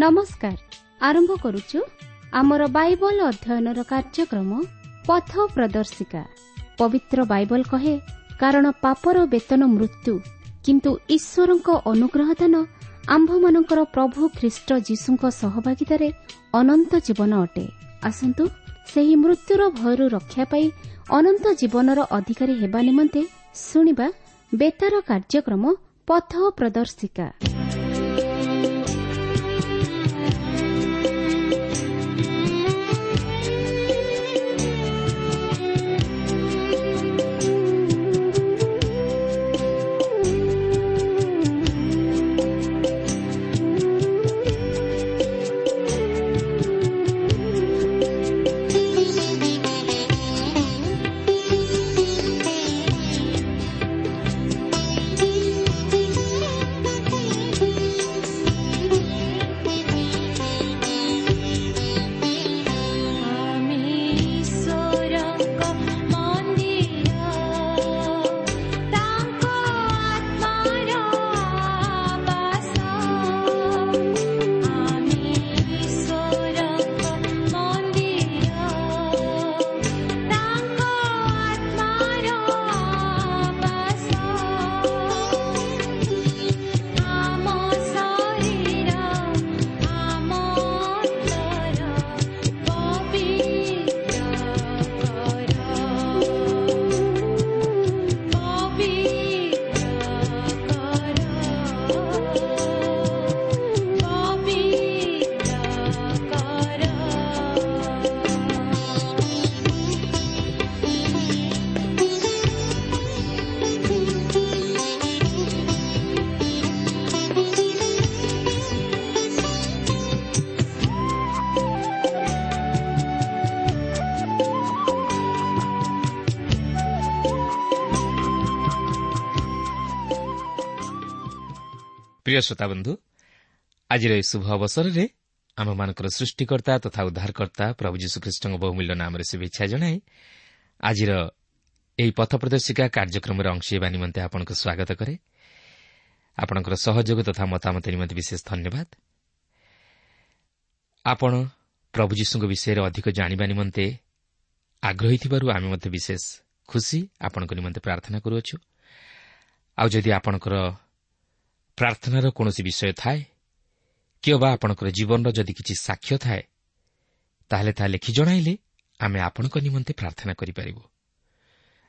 ନମସ୍କାର। ଆରମ୍ଭ କରୁଛୁ ଆମର ବାଇବଲ ଅଧ୍ୟୟନର କାର୍ଯ୍ୟକ୍ରମ ପଥ ପ୍ରଦର୍ଶିକା। ପବିତ୍ର ବାଇବଲ କହେ, କାରଣ ପାପର ବେତନ ମୃତ୍ୟୁ, କିନ୍ତୁ ଈଶ୍ୱରଙ୍କ ଅନୁଗ୍ରହ ଦାନ ଆମ୍ଭମାନଙ୍କର ପ୍ରଭୁ ଖ୍ରୀଷ୍ଟ ଯୀଶୁଙ୍କ ସହଭାଗିତାରେ ଅନନ୍ତ ଜୀବନ ଅଟେ। ଆସନ୍ତୁ ସେହି ମୃତ୍ୟୁର ଭୟରୁ ରକ୍ଷା ପାଇ ଅନନ୍ତ ଜୀବନର ଅଧିକାରୀ ହେବା ନିମନ୍ତେ ଶୁଣିବା ବେତାର କାର୍ଯ୍ୟକ୍ରମ ପଥ ପ୍ରଦର୍ଶିକା। ପ୍ରିୟ ଶ୍ରୋତାବନ୍ଧୁ, ଆଜିର ଏହି ଶୁଭ ଅବସରରେ ଆମମାନଙ୍କର ସୃଷ୍ଟିକର୍ତ୍ତା ତଥା ଉଦ୍ଧାରକର୍ତ୍ତା ପ୍ରଭୁ ଯୀଶୁଖ୍ରୀଷ୍ଟଙ୍କ ବହୁମୂଲ୍ୟ ନାମରେ ଶୁଭେଚ୍ଛା ଜଣାଇ ଆଜିର ଏହି ପଥ ପ୍ରଦର୍ଶିକା କାର୍ଯ୍ୟକ୍ରମରେ ଅଂଶ ହେବା ନିମନ୍ତେ ଆପଣଙ୍କୁ ସ୍ୱାଗତ କରେ। ଆପଣଙ୍କର ସହଯୋଗ ତଥା ମତାମତ ନିମନ୍ତେ ବିଶେଷ ଧନ୍ୟବାଦ। ଆପଣ ପ୍ରଭୁ ଯୀଶୁଙ୍କ ବିଷୟରେ ଅଧିକ ଜାଣିବା ନିମନ୍ତେ ଆଗ୍ରହୀ ଥିବାରୁ ଆମେ ମଧ୍ୟ ବିଶେଷ ଖୁସି। ଆପଣଙ୍କ ନିମନ୍ତେ ପ୍ରାର୍ଥନା କରୁଅଛୁ। ଆଉ ଯଦି ଆପଣଙ୍କର ପ୍ରାର୍ଥନାର କୌଣସି ବିଷୟ ଥାଏ କିମ୍ବା ଆପଣଙ୍କର ଜୀବନର ଯଦି କିଛି ସାକ୍ଷ୍ୟ ଥାଏ, ତାହେଲେ ତାହା ଲେଖି ଜଣାଇଲେ ଆମେ ଆପଣଙ୍କ ନିମନ୍ତେ ପ୍ରାର୍ଥନା କରିପାରିବୁ।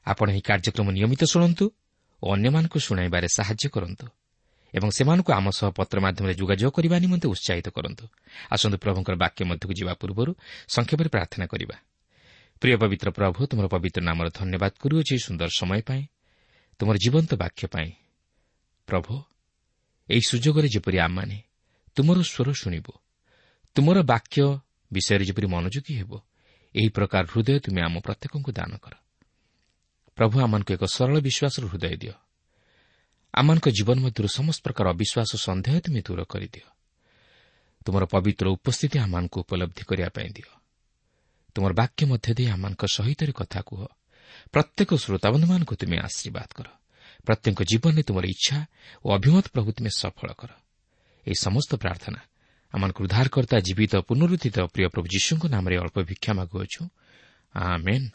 ଆପଣ ଏହି କାର୍ଯ୍ୟକ୍ରମ ନିୟମିତ ଶୁଣନ୍ତୁ ଓ ଅନ୍ୟମାନଙ୍କୁ ଶୁଣାଇବାରେ ସାହାଯ୍ୟ କରନ୍ତୁ ଏବଂ ସେମାନଙ୍କୁ ଆମ ସହ ପତ୍ର ମାଧ୍ୟମରେ ଯୋଗାଯୋଗ କରିବା ନିମନ୍ତେ ଉତ୍ସାହିତ କରନ୍ତୁ। ଆସନ୍ତୁ ପ୍ରଭୁଙ୍କର ବାକ୍ୟ ମଧ୍ୟକୁ ଯିବା ପୂର୍ବରୁ ସଂକ୍ଷେପରେ ପ୍ରାର୍ଥନା କରିବା। ପ୍ରିୟ ପବିତ୍ର ପ୍ରଭୁ, ତୁମର ପବିତ୍ର ନାମର ଧନ୍ୟବାଦ କରୁଅଛି ସୁନ୍ଦର ସମୟ ପାଇଁ, ତୁମର ଜୀବନ୍ତ ବାକ୍ୟ ପାଇଁ। ପ୍ରଭୁ, ଏହି ସୁଯୋଗରେ ଯେପରି ଆମମାନେ ତୁମର ସ୍ୱର ଶୁଣିବୁ, ତୁମର ବାକ୍ୟ ବିଷୟରେ ଯେପରି ମନୋଯୋଗୀ ହେବ, ଏହି ପ୍ରକାର ହୃଦୟ ତୁମେ ଆମ ପ୍ରତ୍ୟେକଙ୍କୁ ଦାନ କର। ପ୍ରଭୁ, ଆମମାନଙ୍କୁ ଏକ ସରଳ ବିଶ୍ୱାସର ହୃଦୟ ଦିଅ। ଆମମାନଙ୍କ ଜୀବନ ମଧ୍ୟରୁ ସମସ୍ତ ପ୍ରକାର ଅବିଶ୍ୱାସ, ସନ୍ଦେହ ତୁମେ ଦୂର କରିଦିଅ। ତୁମର ପବିତ୍ର ଉପସ୍ଥିତି ଆମମାନଙ୍କୁ ଉପଲବ୍ଧି କରିବା ପାଇଁ ଦିଅ। ତୁମର ବାକ୍ୟ ମଧ୍ୟ ଦେଇ ଆମମାନଙ୍କ ସହିତ କଥା କୁହ। ପ୍ରତ୍ୟେକ ଶ୍ରୋତାବନ୍ଧୁମାନଙ୍କୁ ତୁମେ ଆଶୀର୍ବାଦ କର। ପ୍ରତ୍ୟେକ ଜୀବନରେ ତୁମର ଇଚ୍ଛା ଓ ଅଭିମତ ପ୍ରଭୁ ତୁମେ ସଫଳ କର। ଏହି ସମସ୍ତ ପ୍ରାର୍ଥନା ଆମମାନଙ୍କୁ ଉଦ୍ଧାରକର୍ତ୍ତା ଜୀବିତ ପୁନରୁତ୍ଥିତ ପ୍ରିୟ ପ୍ରଭୁ ଯୀଶୁଙ୍କ ନାମରେ ଅଳ୍ପ ଭିକ୍ଷା ମାଗୁଅଛୁ, ଆମେନ୍।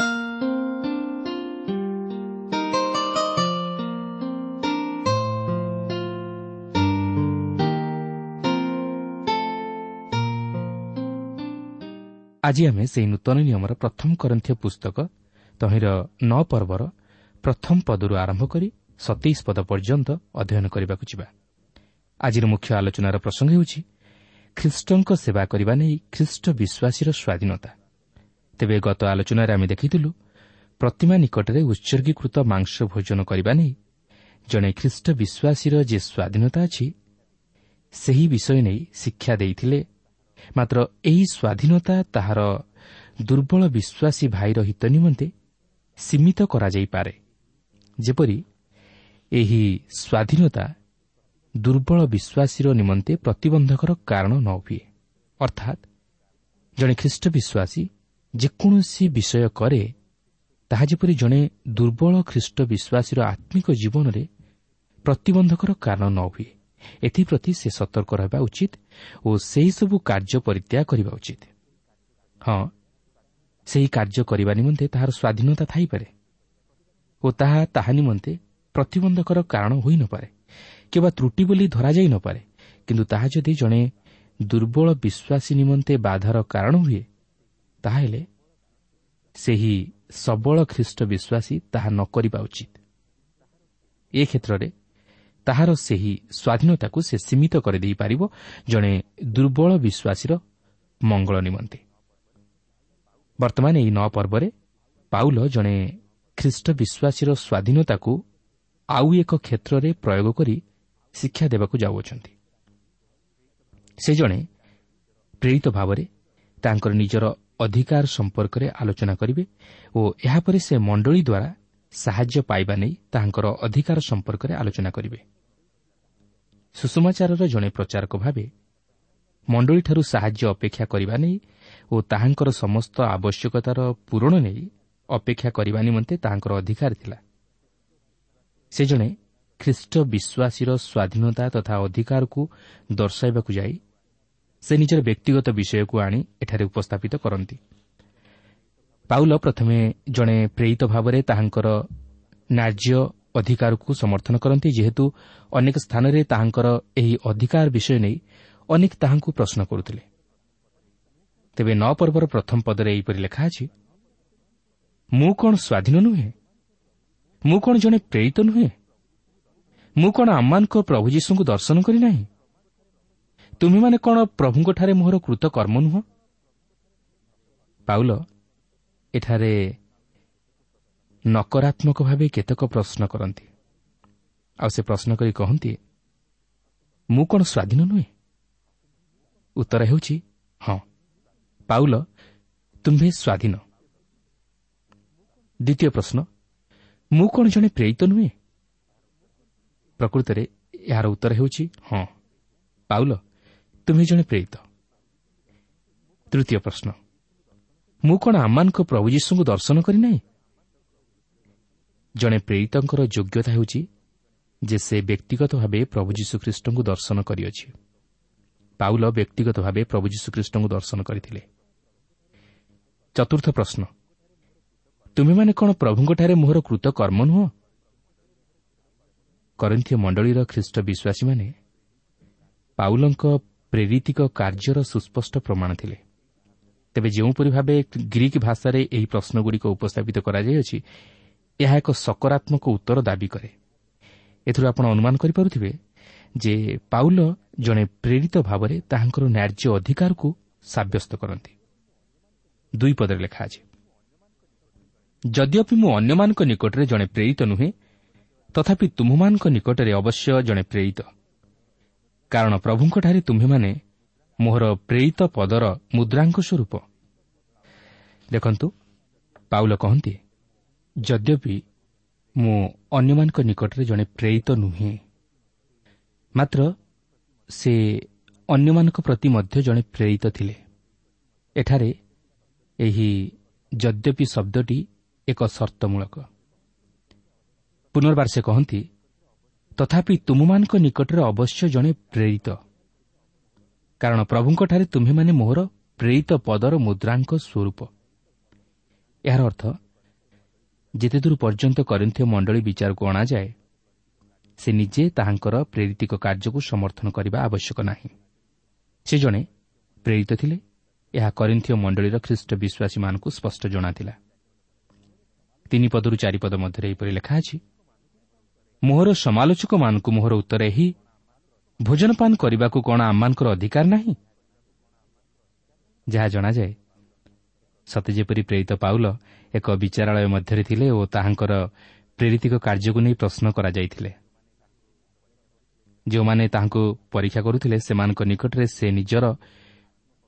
ଆଜି ଆମେ ସେହି ନୂତନ ନିୟମର ପ୍ରଥମ କରନ୍ଥୀୟ ପୁସ୍ତକ ତହିଁର 9 ପର୍ବର ପ୍ରଥମ ପଦରୁ ଆରମ୍ଭ କରି 27 ପଦ ପର୍ଯ୍ୟନ୍ତ ଅଧ୍ୟୟନ କରିବାକୁ ଯିବା। ଆଜିର ମୁଖ୍ୟ ଆଲୋଚନାର ପ୍ରସଙ୍ଗ ହେଉଛି ଖ୍ରୀଷ୍ଟଙ୍କ ସେବା କରିବା ନେଇ ଖ୍ରୀଷ୍ଟ ବିଶ୍ୱାସୀର ସ୍ୱାଧୀନତା। ତେବେ ଗତ ଆଲୋଚନାରେ ଆମେ ଦେଖିଥିଲୁ ପ୍ରତିମା ନିକଟରେ ଉତ୍ସର୍ଗୀକୃତ ମାଂସ ଭୋଜନ କରିବା ନେଇ ଜଣେ ଖ୍ରୀଷ୍ଟ ବିଶ୍ୱାସୀର ଯେ ସ୍ୱାଧୀନତା ଅଛି ସେହି ବିଷୟ ନେଇ ଶିକ୍ଷା ଦେଇଥିଲେ। ମାତ୍ର ଏହି ସ୍ୱାଧୀନତା ତାହାର ଦୁର୍ବଳ ବିଶ୍ୱାସୀ ଭାଇର ହିତ ନିମନ୍ତେ ସୀମିତ କରାଯାଇପାରେ, ଯେପରି ଏହି ସ୍ୱାଧୀନତା ଦୁର୍ବଳ ବିଶ୍ୱାସୀର ନିମନ୍ତେ ପ୍ରତିବନ୍ଧକର କାରଣ ନ ହୁଏ। ଅର୍ଥାତ୍ ଜଣେ ଖ୍ରୀଷ୍ଟ ବିଶ୍ୱାସୀ ଯେକୌଣସି ବିଷୟ କରେ ତାହା ଯେପରି ଜଣେ ଦୁର୍ବଳ ଖ୍ରୀଷ୍ଟ ବିଶ୍ୱାସୀର ଆତ୍ମିକ ଜୀବନରେ ପ୍ରତିବନ୍ଧକର କାରଣ ନ ହୁଏ, ଏଥିପ୍ରତି ସେ ସତର୍କ ରହିବା ଉଚିତ ଓ ସେହିସବୁ କାର୍ଯ୍ୟ ପରିତ୍ୟାଗ କରିବା ଉଚିତ। ହଁ, ସେହି କାର୍ଯ୍ୟ କରିବା ନିମନ୍ତେ ତାହାର ସ୍ୱାଧୀନତା ଥାଇପାରେ ଓ ତାହା ତାହା ନିମନ୍ତେ ପ୍ରତିବନ୍ଧକର କାରଣ ହୋଇନପାରେ କିମ୍ବା ତ୍ରୁଟି ବୋଲି ଧରାଯାଇ ନପାରେ, କିନ୍ତୁ ତାହା ଯଦି ଜଣେ ଦୁର୍ବଳ ବିଶ୍ୱାସୀ ନିମନ୍ତେ ବାଧାର କାରଣ ହୁଏ, ତାହେଲେ ସେହି ସବଳ ଖ୍ରୀଷ୍ଟ ବିଶ୍ୱାସୀ ତାହା ନ କରିବା ଉଚିତ। ଏ କ୍ଷେତ୍ରରେ ତାହାର ସେହି ସ୍ୱାଧୀନତାକୁ ସେ ସୀମିତ କରିଦେଇପାରିବ ଜଣେ ଦୁର୍ବଳ ବିଶ୍ୱାସୀର ମଙ୍ଗଳ ନିମନ୍ତେ। ବର୍ତ୍ତମାନ ଏହି 9 ପର୍ବରେ ପାଉଲ ଜଣେ ଖ୍ରୀଷ୍ଟ ବିଶ୍ୱାସୀର ସ୍ୱାଧୀନତାକୁ ଆଉ ଏକ କ୍ଷେତ୍ରରେ ପ୍ରୟୋଗ କରି ଶିକ୍ଷା ଦେବାକୁ ଯାଉଅଛନ୍ତି। ସେ ଜଣେ ପ୍ରେରିତ ଭାବରେ ତାଙ୍କର ନିଜର ଅଧିକାର ସମ୍ପର୍କରେ ଆଲୋଚନା କରିବେ ଓ ଏହାପରେ ସେ ମଣ୍ଡଳୀ ଦ୍ୱାରା ସାହାଯ୍ୟ ପାଇବା ନେଇ ତାହାଙ୍କର ଅଧିକାର ସମ୍ପର୍କରେ ଆଲୋଚନା କରିବେ। ସୁସମାଚାରର ଜଣେ ପ୍ରଚାରକ ଭାବେ ମଣ୍ଡଳୀଠାରୁ ସାହାଯ୍ୟ ଅପେକ୍ଷା କରିବା ନେଇ ଓ ତାହାଙ୍କର ସମସ୍ତ ଆବଶ୍ୟକତାର ପୂରଣ ନେଇ ଅପେକ୍ଷା କରିବା ନିମନ୍ତେ ତାହାଙ୍କର ଅଧିକାର ଥିଲା। ସେ ଜଣେ ଖ୍ରୀଷ୍ଟ ବିଶ୍ୱାସୀର ସ୍ୱାଧୀନତା ତଥା ଅଧିକାରକୁ ଦର୍ଶାଇବାକୁ ଯାଇ ସେ ନିଜର ବ୍ୟକ୍ତିଗତ ବିଷୟକୁ ଆଣି ଏଠାରେ ଉପସ୍ଥାପିତ କରନ୍ତି। ପାଉଲ ପ୍ରଥମେ ଜଣେ ପ୍ରେରିତ ଭାବରେ ତାହାଙ୍କର ନ୍ୟାଯ୍ୟ ଅଧିକାରକୁ ସମର୍ଥନ କରନ୍ତି, ଯେହେତୁ ଅନେକ ସ୍ଥାନରେ ତାହାଙ୍କର ଏହି ଅଧିକାର ବିଷୟ ନେଇ ଅନେକ ତାହାଙ୍କୁ ପ୍ରଶ୍ନ କରୁଥିଲେ। ତେବେ 9 ପର୍ବର ପ୍ରଥମ ପଦରେ ଏହିପରି ଲେଖା ଅଛି, ମୁଁ କ'ଣ ସ୍ୱାଧୀନ ନୁହେଁ? ମୁଁ କ'ଣ ଜଣେ ପ୍ରେରିତ ନୁହେଁ? ମୁଁ କ'ଣ ଆମମାନଙ୍କ ପ୍ରଭୁ ଯୀଶୁଙ୍କୁ ଦର୍ଶନ କରିନାହିଁ? ତୁମେମାନେ କ'ଣ ପ୍ରଭୁଙ୍କଠାରେ ମୋହର କୃତକର୍ମ ନୁହଁ? ପାଉଲ ଏଠାରେ ନକାରାତ୍ମକ ଭାବେ କେତେକ ପ୍ରଶ୍ନ କରନ୍ତି, ଆଉ ସେ ପ୍ରଶ୍ନ କରି କହନ୍ତି, ମୁଁ କ'ଣ ସ୍ୱାଧୀନ ନୁହେଁ? ଉତ୍ତର ହେଉଛି ହଁ, ପାଉଲ ତୁମ୍ଭେ ସ୍ୱାଧୀନ। ଦ୍ୱିତୀୟ ପ୍ରଶ୍ନ, ମୁଁ କ'ଣ ଜଣେ ପ୍ରେରିତ ନୁହେଁ? ପ୍ରକୃତରେ ଏହାର ଉତ୍ତର ହେଉଛି ହଁ, ପାଉଲ ତୁମ୍ଭେ ଜଣେ ପ୍ରେରିତ। ତୃତୀୟ ପ୍ରଶ୍ନ, ମୁଁ କ'ଣ ଆମମାନଙ୍କ ପ୍ରଭୁ ଯୀଶୁଙ୍କୁ ଦର୍ଶନ କରିନାହିଁ? ଜଣେ ପ୍ରେରିତଙ୍କର ଯୋଗ୍ୟତା ହେଉଛି ଯେ ସେ ବ୍ୟକ୍ତିଗତ ଭାବେ ପ୍ରଭୁ ଯୀଶୁଖ୍ରୀଷ୍ଟଙ୍କୁ ଦର୍ଶନ କରିଅଛି। ପାଉଲ ବ୍ୟକ୍ତିଗତ ଭାବେ ପ୍ରଭୁ ଯୀଶୁଖ୍ରୀଷ୍ଟଙ୍କୁ ଦର୍ଶନ କରିଥିଲେ। ଚତୁର୍ଥ ପ୍ରଶ୍ନ, ତୁମେମାନେ କ'ଣ ପ୍ରଭୁଙ୍କଠାରେ ମୋହର କୃତକର୍ମ ନୁହଁ? କରିନ୍ଥୀୟ ମଣ୍ଡଳୀର ଖ୍ରୀଷ୍ଟ ବିଶ୍ୱାସୀମାନେ ପାଉଲଙ୍କ ପ୍ରେରିତିକ କାର୍ଯ୍ୟର ସୁସ୍ପଷ୍ଟ ପ୍ରମାଣ ଥିଲେ। ତେବେ ଯେଉଁପରି ଭାବେ ଗ୍ରୀକ୍ ଭାଷାରେ ଏହି ପ୍ରଶ୍ନଗୁଡ଼ିକ ଉପସ୍ଥାପିତ କରାଯାଇଅଛି, ଏହା ଏକ ସକାରାତ୍ମକ ଉତ୍ତର ଦାବି କରେ। ଏଥିରୁ ଆପଣ ଅନୁମାନ କରିପାରୁଥିବେ ଯେ ପାଉଲ ଜଣେ ପ୍ରେରିତ ଭାବରେ ତାହାଙ୍କର ନ୍ୟାଯ୍ୟ ଅଧିକାରକୁ ସାବ୍ୟସ୍ତ କରନ୍ତି। 2 ପଦରେ ଲେଖା ଅଛି, ଯଦ୍ୟପି ମୁଁ ଅନ୍ୟମାନଙ୍କ ନିକଟରେ ଜଣେ ପ୍ରେରିତ ନୁହେଁ, ତଥାପି ତୁମ୍ଭମାନଙ୍କ ନିକଟରେ ଅବଶ୍ୟ ଜଣେ ପ୍ରେରିତ, କାରଣ ପ୍ରଭୁଙ୍କଠାରେ ତୁମ୍ଭେମାନେ ମୋହର ପ୍ରେରିତ ପଦର ମୁଦ୍ରାଙ୍କ ସ୍ୱରୂପ। ଦେଖନ୍ତୁ, ପାଉଲ କହନ୍ତି, ଯଦ୍ୟପି ମୁଁ ଅନ୍ୟମାନଙ୍କ ନିକଟରେ ଜଣେ ପ୍ରେରିତ ନୁହେଁ, ମାତ୍ର ସେ ଅନ୍ୟମାନଙ୍କ ପ୍ରତି ମଧ୍ୟ ଜଣେ ପ୍ରେରିତ ଥିଲେ। ଏଠାରେ ଏହି ଯଦ୍ୟପି ଶବ୍ଦଟି ଏକ ସର୍ତ୍ତମୂଳକ। ପୁନର୍ବାର ସେ କହନ୍ତି, ତଥାପି ତୁମମାନଙ୍କ ନିକଟରେ ଅବଶ୍ୟ ଜଣେ ପ୍ରେରିତ, କାରଣ ପ୍ରଭୁଙ୍କଠାରେ ତୁମ୍ଭେମାନେ ମୋହର ପ୍ରେରିତ ପଦର ମୁଦ୍ରାଙ୍କ ସ୍ୱରୂପ। ଏହାର ଅର୍ଥ, ଯେତେଦୂର ପର୍ଯ୍ୟନ୍ତ କରିନ୍ଥୀୟ ମଣ୍ଡଳୀ ବିଚାରକୁ ଅଣାଯାଏ, ସେ ନିଜେ ତାହାଙ୍କର ପ୍ରେରିତିକ କାର୍ଯ୍ୟକୁ ସମର୍ଥନ କରିବା ଆବଶ୍ୟକ ନାହିଁ। ସେ ଜଣେ ପ୍ରେରିତ ଥିଲେ, ଏହା କରିନ୍ଥୀୟ ମଣ୍ଡଳୀର ଖ୍ରୀଷ୍ଟ ବିଶ୍ୱାସୀମାନଙ୍କୁ ସ୍ପଷ୍ଟ ଜଣାଥିଲା। 3 ପଦରୁ 4 ପଦ ମଧ୍ୟରେ ଏହିପରି ଲେଖା ଅଛି, ମୋହର ସମାଲୋଚକମାନଙ୍କୁ ମୋହର ଉତ୍ତର ଏହି, ଭୋଜନପାନ କରିବାକୁ କ'ଣ ଆମମାନଙ୍କର ଅଧିକାର ନାହିଁ? ଯାହା ଜଣାଯାଏ, ସତେ ଯେପରି ପ୍ରେରିତ ପାଉଲ ଏକ ବିଚାରାଳୟ ମଧ୍ୟରେ ଥିଲେ ଓ ତାହାଙ୍କର ପ୍ରେରିତିକ କାର୍ଯ୍ୟକୁ ନେଇ ପ୍ରଶ୍ନ କରାଯାଇଥିଲେ। ଯେଉଁମାନେ ତାହାଙ୍କୁ ପରୀକ୍ଷା କରୁଥିଲେ, ସେମାନଙ୍କ ନିକଟରେ ସେ ନିଜର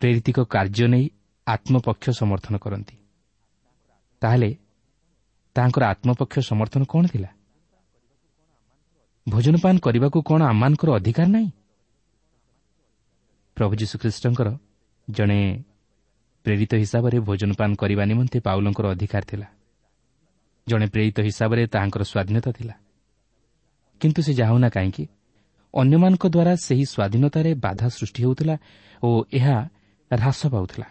ପ୍ରେରିତିକ କାର୍ଯ୍ୟ ନେଇ ଆତ୍ମପକ୍ଷ ସମର୍ଥନ କରନ୍ତି। ତାହେଲେ ତାହାଙ୍କର ଆତ୍ମପକ୍ଷ ସମର୍ଥନ କ'ଣ ଥିଲା? ଭୋଜନପାନ କରିବାକୁ କ'ଣ ଆମମାନଙ୍କର ଅଧିକାର ନାହିଁ? ପ୍ରଭୁ ଯୀଶୁଖ୍ରୀଷ୍ଟଙ୍କର ଜଣେ ପ୍ରେରିତ ହିସାବରେ ଭୋଜନପାନ କରିବା ନିମନ୍ତେ ପାଉଲଙ୍କର ଅଧିକାର ଥିଲା। ଜଣେ ପ୍ରେରିତ ହିସାବରେ ତାହାଙ୍କର ସ୍ୱାଧୀନତା ଥିଲା। କିନ୍ତୁ ସେ ଯାହା ହେଉନା କାହିଁକି, ଅନ୍ୟମାନଙ୍କ ଦ୍ୱାରା ସେହି ସ୍ୱାଧୀନତାରେ ବାଧା ସୃଷ୍ଟି ହେଉଥିଲା ଓ ଏହା ହ୍ରାସ ପାଉଥିଲା।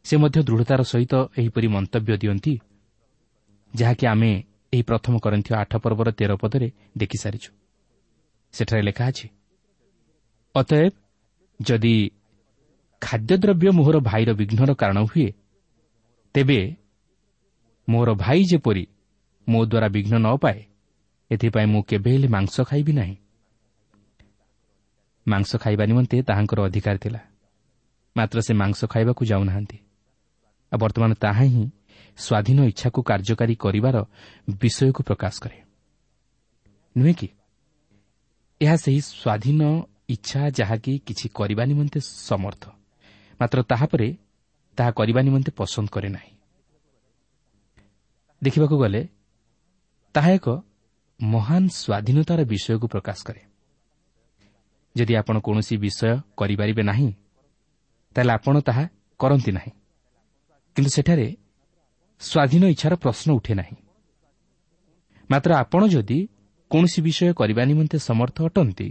ସେ ମଧ୍ୟ ଦୃଢ଼ତାର ସହିତ ଏହିପରି ମନ୍ତବ୍ୟ ଦିଅନ୍ତି, ଯାହାକି ଆମେ ଏହି ପ୍ରଥମ କରିନ୍ଥୀୟ 8 ପର୍ବର 13 ପଦରେ ଦେଖିସାରିଛୁ। ସେଠାରେ ଲେଖା ଅଛି, ଅତଏବ ଯଦି ଖାଦ୍ୟଦ୍ରବ୍ୟ ମୋହର ଭାଇର ବିଘ୍ନର କାରଣ ହୁଏ, ତେବେ ମୋର ଭାଇ ଯେପରି ମୋ ଦ୍ୱାରା ବିଘ୍ନ ନ ପାଏ, ଏଥିପାଇଁ ମୁଁ କେବେ ହେଲେ ମାଂସ ଖାଇବି ନାହିଁ। ମାଂସ ଖାଇବା ନିମନ୍ତେ ତାହାଙ୍କର ଅଧିକାର ଥିଲା, ମାତ୍ର ସେ ମାଂସ ଖାଇବାକୁ ଯାଉନାହାନ୍ତି। ଆଉ ବର୍ତ୍ତମାନ ତାହା ହିଁ ସ୍ୱାଧୀନ ଇଚ୍ଛାକୁ କାର୍ଯ୍ୟକାରୀ କରିବାର ବିଷୟକୁ ପ୍ରକାଶ କରେ, ନୁହେଁ କି? ଏହା ସେହି ସ୍ୱାଧୀନ ଇଚ୍ଛା ଯାହାକି କିଛି କରିବା ନିମନ୍ତେ ସମର୍ଥ, ମାତ୍ର ତାହାପରେ ତାହା କରିବା ନିମନ୍ତେ ପସନ୍ଦ କରେ ନାହିଁ। ଦେଖିବାକୁ ଗଲେ ତାହା ଏକ ମହାନ ସ୍ୱାଧୀନତାର ବିଷୟକୁ ପ୍ରକାଶ କରେ। ଯଦି ଆପଣ କୌଣସି ବିଷୟ କରିପାରିବେ ନାହିଁ, ତାହେଲେ ଆପଣ ତାହା କରନ୍ତି ନାହିଁ। କିନ୍ତୁ ସେଠାରେ ସ୍ୱାଧୀନ ଇଚ୍ଛାର ପ୍ରଶ୍ନ ଉଠେ ନାହିଁ। ମାତ୍ର ଆପଣ ଯଦି କୌଣସି ବିଷୟ କରିବା ନିମନ୍ତେ ସମର୍ଥ ଅଟନ୍ତି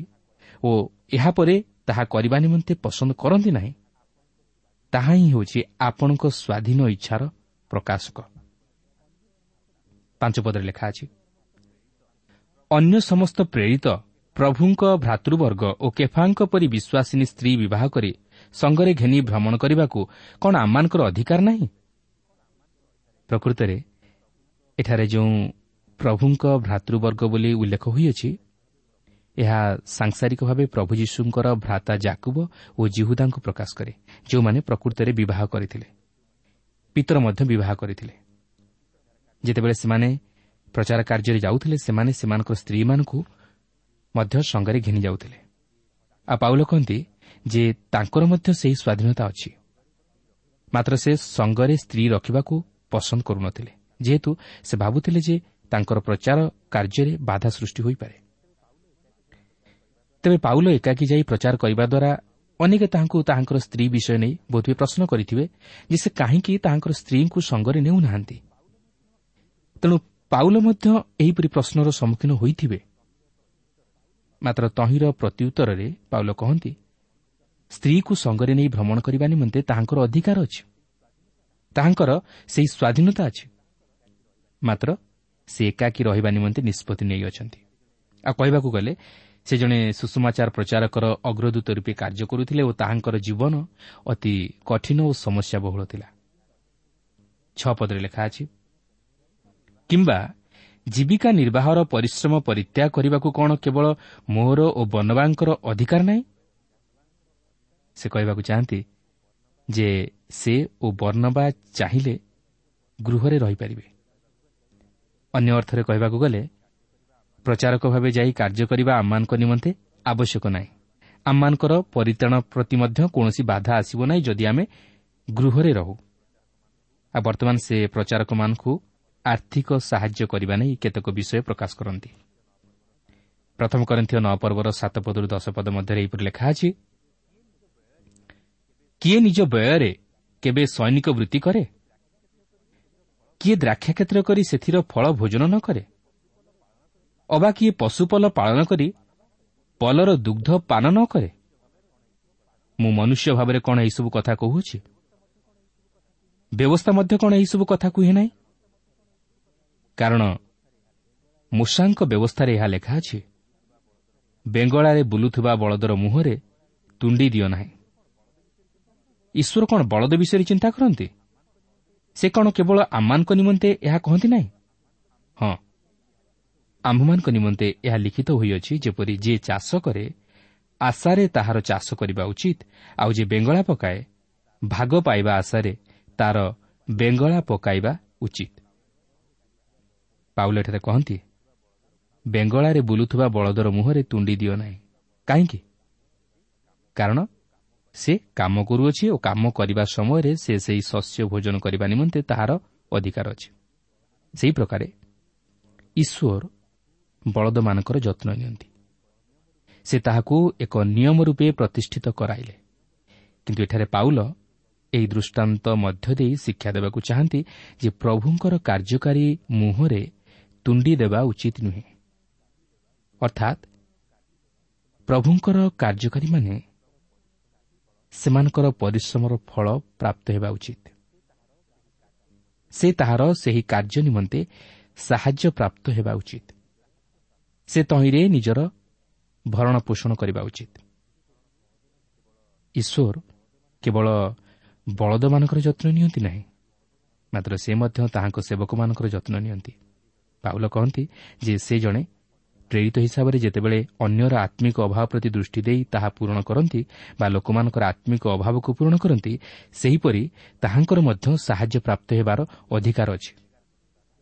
ଓ ଏହାପରେ ତାହା କରିବା ନିମନ୍ତେ ପସନ୍ଦ କରନ୍ତି ନାହିଁ, ତାହା ହିଁ ହେଉଛି ଆପଣଙ୍କ ସ୍ୱାଧୀନ ଇଚ୍ଛାର ପ୍ରକାଶକ। 5 ପଦରେ ଲେଖା ଅଛି, ଅନ୍ୟ ସମସ୍ତ ପ୍ରେରିତ ପ୍ରଭୁଙ୍କ ଭ୍ରାତୃବର୍ଗ ଓ କେଫାଙ୍କ ପରି ବିଶ୍ୱାସିନୀ ସ୍ତ୍ରୀ ବିବାହ କରି ସଙ୍ଗରେ ଘେନି ଭ୍ରମଣ କରିବାକୁ କ'ଣ ଆମମାନଙ୍କର ଅଧିକାର ନାହିଁ? ପ୍ରକୃତରେ ଏଠାରେ ଯେଉଁ ପ୍ରଭୁଙ୍କ ଭ୍ରାତୃବର୍ଗ ବୋଲି ଉଲ୍ଲେଖ ହୋଇଅଛି, ଏହା ସାଂସାରିକ ଭାବେ ପ୍ରଭୁ ଯୀଶୁଙ୍କର ଭ୍ରାତା ଜାକୁବ ଓ ଜିହୁଦାଙ୍କୁ ପ୍ରକାଶ କରେ, ଯେଉଁମାନେ ପ୍ରକୃତରେ ବିବାହ କରିଥିଲେ। ପିତର ମଧ୍ୟ ବିବାହ କରିଥିଲେ। ଯେତେବେଳେ ସେମାନେ ପ୍ରଚାର କାର୍ଯ୍ୟରେ ଯାଉଥିଲେ, ସେମାନେ ସେମାନଙ୍କର ସ୍ତ୍ରୀମାନଙ୍କୁ ମଧ୍ୟ ସଙ୍ଗରେ ଘେନି ଯାଉଥିଲେ। ଆଉ ପାଉଲ କହନ୍ତି ଯେ ତାଙ୍କର ମଧ୍ୟ ସେହି ସ୍ୱାଧୀନତା ଅଛି, ମାତ୍ର ସେ ସଙ୍ଗରେ ସ୍ତ୍ରୀ ରଖିବାକୁ ପସନ୍ଦ କରୁନଥିଲେ, ଯେହେତୁ ସେ ଭାବୁଥିଲେ ଯେ ତାଙ୍କର ପ୍ରଚାର କାର୍ଯ୍ୟରେ ବାଧା ସୃଷ୍ଟି ହୋଇପାରେ। ତେବେ ପାଉଲ ଏକାକୀ ଯାଇ ପ୍ରଚାର କରିବା ଦ୍ୱାରା ଅନେକ ତାହାଙ୍କୁ ତାହାଙ୍କର ସ୍ତ୍ରୀ ବିଷୟ ନେଇ ବୋଧହୁଏ ପ୍ରଶ୍ନ କରିଥିବେ ଯେ ସେ କାହିଁକି ତାହାଙ୍କର ସ୍ତ୍ରୀଙ୍କୁ ସଙ୍ଗରେ ନେଉନାହାନ୍ତି। ତେଣୁ ପାଉଲ ମଧ୍ୟ ଏହିପରି ପ୍ରଶ୍ନର ସମ୍ମୁଖୀନ ହୋଇଥିବେ। ମାତ୍ର ତହିଁର ପ୍ରତ୍ୟୁତ୍ତରରେ ପାଉଲ କହନ୍ତି, ସ୍ତ୍ରୀକୁ ସଙ୍ଗରେ ନେଇ ଭ୍ରମଣ କରିବା ନିମନ୍ତେ ତାହାଙ୍କର ଅଧିକାର ଅଛି, ତାହାଙ୍କର ସେହି ସ୍ୱାଧୀନତା ଅଛି, ମାତ୍ର ସେ ଏକାକୀ ରହିବା ନିମନ୍ତେ ନିଷ୍ପତ୍ତି ନେଇଅଛନ୍ତି। ଆଉ କହିବାକୁ ଗଲେ ସେ ଜଣେ ସୁସମାଚାର ପ୍ରଚାରକର ଅଗ୍ରଦୂତ ରୂପେ କାର୍ଯ୍ୟ କରୁଥିଲେ ଓ ତାହାଙ୍କର ଜୀବନ ଅତି କଠିନ ଓ ସମସ୍ୟାବହୁଳ ଥିଲା। 6 ପଦରେ ଲେଖା ଅଛି, କିମ୍ବା ଜୀବିକା ନିର୍ବାହର ପରିଶ୍ରମ ପରିତ୍ୟାଗ କରିବାକୁ କ'ଣ କେବଳ ମୋର ଓ ବର୍ଣ୍ଣବାଙ୍କର ଅଧିକାର ନାହିଁ? ସେ କହିବାକୁ ଚାହାନ୍ତି ଯେ ସେ ଓ ବର୍ଣ୍ଣବା ଚାହିଁଲେ ଗୃହରେ ରହିପାରିବେ। ଅନ୍ୟ ଅର୍ଥରେ କହିବାକୁ ଗଲେ ପ୍ରଚାରକ ଭାବେ ଯାଇ କାର୍ଯ୍ୟ କରିବା ଆମମାନଙ୍କ ନିମନ୍ତେ ଆବଶ୍ୟକ ନାହିଁ। ଆମମାନଙ୍କର ପରିତ୍ରାଣ ପ୍ରତି ମଧ୍ୟ କୌଣସି ବାଧା ଆସିବ ନାହିଁ ଯଦି ଆମେ ଗୃହରେ ରହୁ। ଆଉ ବର୍ତ୍ତମାନ ସେ ପ୍ରଚାରକମାନଙ୍କୁ ଆର୍ଥିକ ସାହାଯ୍ୟ କରିବା ନେଇ କେତେକ ବିଷୟ ପ୍ରକାଶ କରନ୍ତି। ପ୍ରଥମ କରିନ୍ଥୀୟ 9 ପର୍ବର 7 ପଦରୁ 10 ପଦ ମଧ୍ୟରେ ଏହିପରି ଲେଖା ଅଛି, କିଏ ନିଜ ବ୍ୟୟରେ କେବେ ସୈନିକ ବୃତ୍ତି କରେ? କିଏ ଦ୍ରାକ୍ଷାକ୍ଷେତ୍ର କରି ସେଥିର ଫଳ ଭୋଜନ ନ କରେ? ଅବା କିଏ ପଶୁପଲ ପାଳନ କରି ପଲର ଦୁଗ୍ଧ ପାନ ନ କରେ? ମୁଁ ମନୁଷ୍ୟ ଭାବରେ କ'ଣ ଏହିସବୁ କଥା କହୁଛି? ବ୍ୟବସ୍ଥା ମଧ୍ୟ କ'ଣ ଏହିସବୁ କଥା କୁହେ ନାହିଁ? କାରଣ ମୂଷାଙ୍କ ବ୍ୟବସ୍ଥାରେ ଏହା ଲେଖା ଅଛି, ବେଙ୍ଗଳାରେ ବୁଲୁଥିବା ବଳଦର ମୁହଁରେ ତୁଣ୍ଡି ଦିଅ ନାହିଁ। ଈଶ୍ୱର କ'ଣ ବଳଦ ବିଷୟରେ ଚିନ୍ତା କରନ୍ତି? ସେ କ'ଣ କେବଳ ଆମମାନଙ୍କ ନିମନ୍ତେ ଏହା କହନ୍ତି ନାହିଁ? ହଁ, ଆମ୍ଭମାନଙ୍କ ନିମନ୍ତେ ଏହା ଲିଖିତ ହୋଇଅଛି, ଯେପରି ଯିଏ ଚାଷ କରେ ଆଶାରେ ତାହାର ଚାଷ କରିବା ଉଚିତ, ଆଉ ଯିଏ ବେଙ୍ଗଳା ପକାଏ ଭାଗ ପାଇବା ଆଶାରେ ତାର ବେଙ୍ଗଳା ପକାଇବା ଉଚିତ। ପାଉଲ ଏଠାରେ କହନ୍ତି, ବେଙ୍ଗଳାରେ ବୁଲୁଥିବା ବଳଦର ମୁହଁରେ ତୁଣ୍ଡି ଦିଅ ନାହିଁ। କାହିଁକି? କାରଣ ସେ କାମ କରୁଅଛି ଓ କାମ କରିବା ସମୟରେ ସେ ସେହି ଶସ୍ୟ ଭୋଜନ କରିବା ନିମନ୍ତେ ତାହାର ଅଧିକାର ଅଛି। ସେହି ପ୍ରକାରେ ଈଶ୍ୱର ବଳଦମାନଙ୍କର ଯତ୍ନ ନିଅନ୍ତି। ସେ ତାହାକୁ ଏକ ନିୟମ ରୂପେ ପ୍ରତିଷ୍ଠିତ କରାଇଲେ। କିନ୍ତୁ ଏଠାରେ ପାଉଲ ଏହି ଦୃଷ୍ଟାନ୍ତ ମଧ୍ୟ ଦେଇ ଶିକ୍ଷା ଦେବାକୁ ଚାହାନ୍ତି ଯେ ପ୍ରଭୁଙ୍କର କାର୍ଯ୍ୟକାରୀ ମୁହଁରେ ତୁଣ୍ଡି ଦେବା ଉଚିତ ନୁହେଁ। ଅର୍ଥାତ୍ ପ୍ରଭୁଙ୍କର କାର୍ଯ୍ୟକାରୀମାନେ ସେମାନଙ୍କର ପରିଶ୍ରମର ଫଳ ପ୍ରାପ୍ତ ହେବା ଉଚିତ। ସେ ତାହାର ସେହି କାର୍ଯ୍ୟ ନିମନ୍ତେ ସାହାଯ୍ୟ ପ୍ରାପ୍ତ ହେବା ଉଚିତ। ସେ ତହିଁରେ ନିଜର ଭରଣ ପୋଷଣ କରିବା ଉଚିତ। ଈଶ୍ୱର କେବଳ ବଳଦମାନଙ୍କର ଯତ୍ନ ନିଅନ୍ତି ନାହିଁ, ମାତ୍ର ସେ ମଧ୍ୟ ତାହାଙ୍କ ସେବକମାନଙ୍କର ଯତ୍ନ ନିଅନ୍ତି। ପାଉଲ କହନ୍ତି ଯେ ସେ ଜଣେ ପ୍ରେରିତ ହିସାବରେ ଯେତେବେଳେ ଅନ୍ୟର ଆତ୍ମିକ ଅଭାବ ପ୍ରତି ଦୃଷ୍ଟି ଦେଇ ତାହା ପୂରଣ କରନ୍ତି ବା ଲୋକମାନଙ୍କର ଆତ୍ମିକ ଅଭାବକୁ ପୂରଣ କରନ୍ତି, ସେହିପରି ତାହାଙ୍କର ମଧ୍ୟ ସାହାଯ୍ୟ ପ୍ରାପ୍ତ ହେବାର ଅଧିକାର ଅଛି।